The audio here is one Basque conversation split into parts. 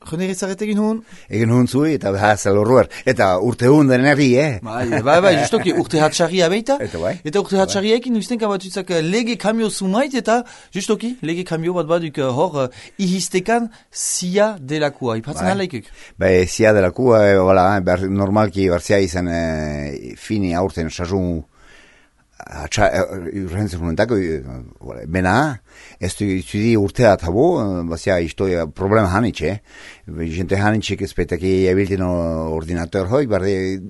Jone Rizarret egin hon? Egin hon zui, eta behazal horruar. Eta urte hon den herri, Bai, justoki urte hatxarria beita. Eta urte hatxarria ekin, ustenka batutzak lege kamio zumait, eta justoki, lege kamio bat baduk hor ihistekan sia delakua. Ipatzen halaikuk? Sia delakua, normalki barzia izan fini aurten sazun urrentzen funentako, bena, ez du urtea tabo, bazia historia problema hanitxe, gente hanitxek ezpetaki ebilten ordinator hoi,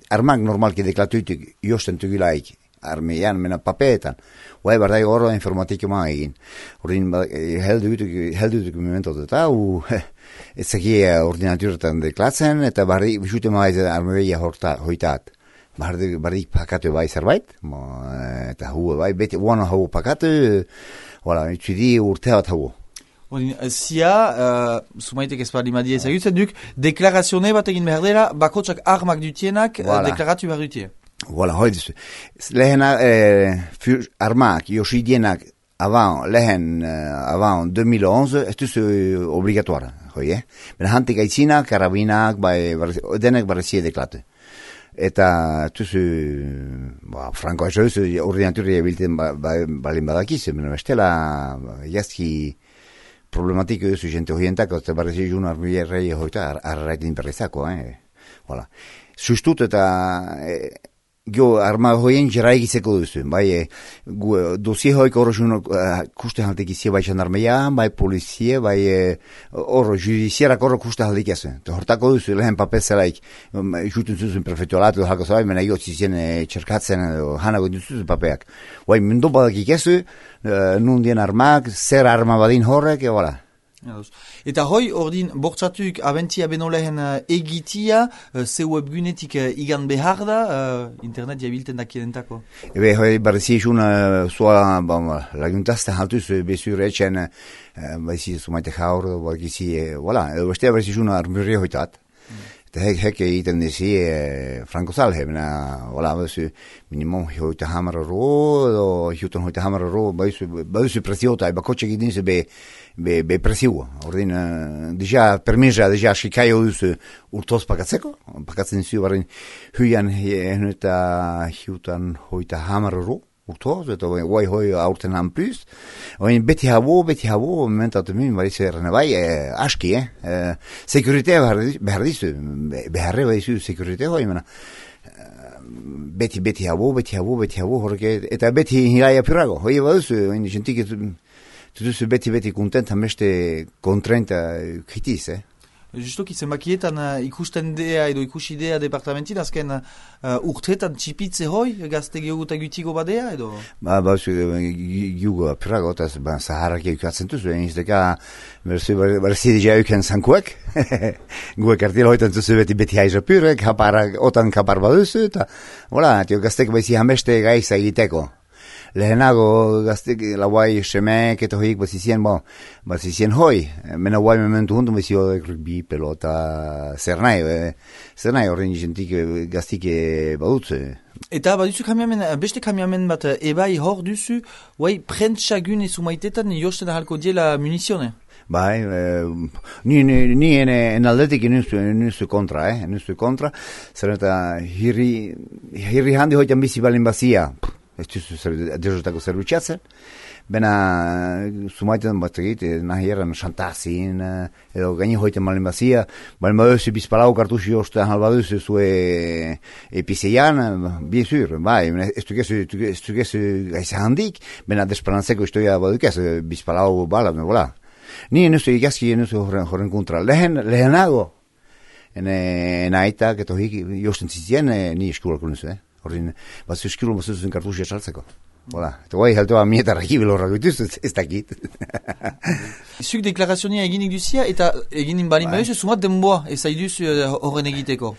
armak normalki deklatuituk josten tugilaik, armeian, mena papeetan, bardai horro informatiko maa egin. Ordin, heldutuk momentot eta, ez zaki ordinaturetan deklatzen, eta bisute maa ez armeia hoitaat. Bardik pakatu bai zerbait, eta hau bai, beti uano hau pakatu, itxudi urtea bat hau. Zia, sumaitek ez bali madia ezagutzen duk, deklarazione bat egin behar dela, bakotsak armak dutienak, deklaratu behar dutie. Hoi dizu. Lehen armak, josidienak, avant 2011, ez duzu obligatoara, hoi, Bena hantik aitzina, karabinak, denek barrezie deklatu. Eta tuzu, franko haso duzu, ordinaturia bilten balin badakiz, bestela jazki problematiko duzu jente hoientako, eta barrezi juna armillerrei hoita arraitin berrizako, Sustut eta gio arma hoien jaraigizeko duzu, dosie hoik oro juna kuste haltik izi bai jandarmeia, bai polizie, bai oro judizierak oro kuste haltik ezen. Hortako duzu, lehen papezelaik, jutun zuzun prefektualatu, halko zabai, mena jotzizien txerkatzen, hanago duzuzun papeak. Mendo badak ikezu, nundien armak, zer arma badin horrek, Eta hoi, ordin, bortzatuk abentia benolehen egitia, ze webgunetik igan behar da, internet jabilten dakiedentako? Hoi, barrezi esun, soa, laguntazten haltuz, bezur etxen, baizi, sumaite jaur, bakizi, edo bestea barrezi esun armurri hoitat. Eta hek egiten dizi, franko salhe, bazi, minimum hoita hamar ro, edo hiuton hoita hamar ro, bazi preziota, bakotxe egiten dizi be presiua. Ordin, deja permisa, deja shikaio duzu urtoz pakatzeko, pakatzen dizu barren huian eta hiutan hoita hamar ro, urtoz, eta hoi aurten hanpuz. Beti habo, momentat min, barizu errene bai, aski, sekuritea behar dizu, beharre badizu sekuritea hoi, beti habo, horreke, eta beti hilaia pirago, hoi baduzu, jentik duzu beti kontenta meste kontrenta kritiz, Justoki zenbakietan ikusten dea edo ikusidea departamentin, azken urtetan txipitze hoi, gazte geoguta gutigo badea edo? Giugo pirago, eta zaharrak eukatzen duzu, izteka berzi dira euken zankuek, guek artila hoitan duzu beti haiza purek, otan kapar baduzu, eta gaztek baizi hameste gaiza egiteko. Lehenago gaztek lauai semek eta hoik bazizien hoi. Mena guai momentu hundu bezio rugby, pelota, zer nahi horrein jentik gaztik badutze. Eta baduzu beste kamiamen bat ebai hor duzu, prentsagun ezumaitetan josten ahalko diela munizione? Ni en aldetik nuzu kontra, zer eta hirri handi hoitan bizi balin bazia, ez duzu derzotako zerbitxatzen, bena sumaiten bat egit, nahi eran xantazin, edo gaini hoiten malin bazia, balin baduzu bizpalau kartusi hoste halbaduzu zue epizeian, bizur, ez dukezu gaiza handik, bena desperantzeko istoia badukezu bizpalau bala, Ni nuzu igazki horren kontra. Lehenago, aitak eta hoik josten zizien, ni eskulako nuzu, Horrin, batzu eskulu bazuzun kartusia txaltzeko. Eta guai, heltoa mietarra egibil horrak dituz, ez dakit. Zuk deklarazionia eginik duzia, eta eginin balin baduzu, sumat denboa ezaiduz horren egiteko?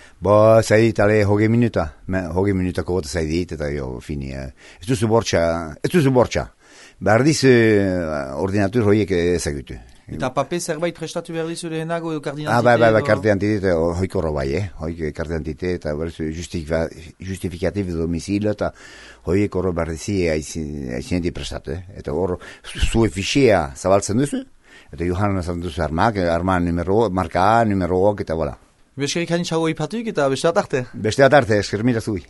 Zaidit, hoge minutako gota zaidit, eta fini. Ez duzu bortxa. Behar dizu ordinatur hoiek ezagutu. Eta pape zerbait prestatu behar dizu lehenago edo kardinantite? Bai, karte antitete, hoik horro bai, hoik karte antitete, eta justifikatif domicilio, eta hoiek horro behar dizi aizineti prestatu. Eta horro, zue fixea zabaltzen duzu, Eta Johan esan duzu armak, marka A, numeroak, eta voilà. Beskerik hanitzago ipatuik eta beste bat arte. Beste atarte, esker mila zui.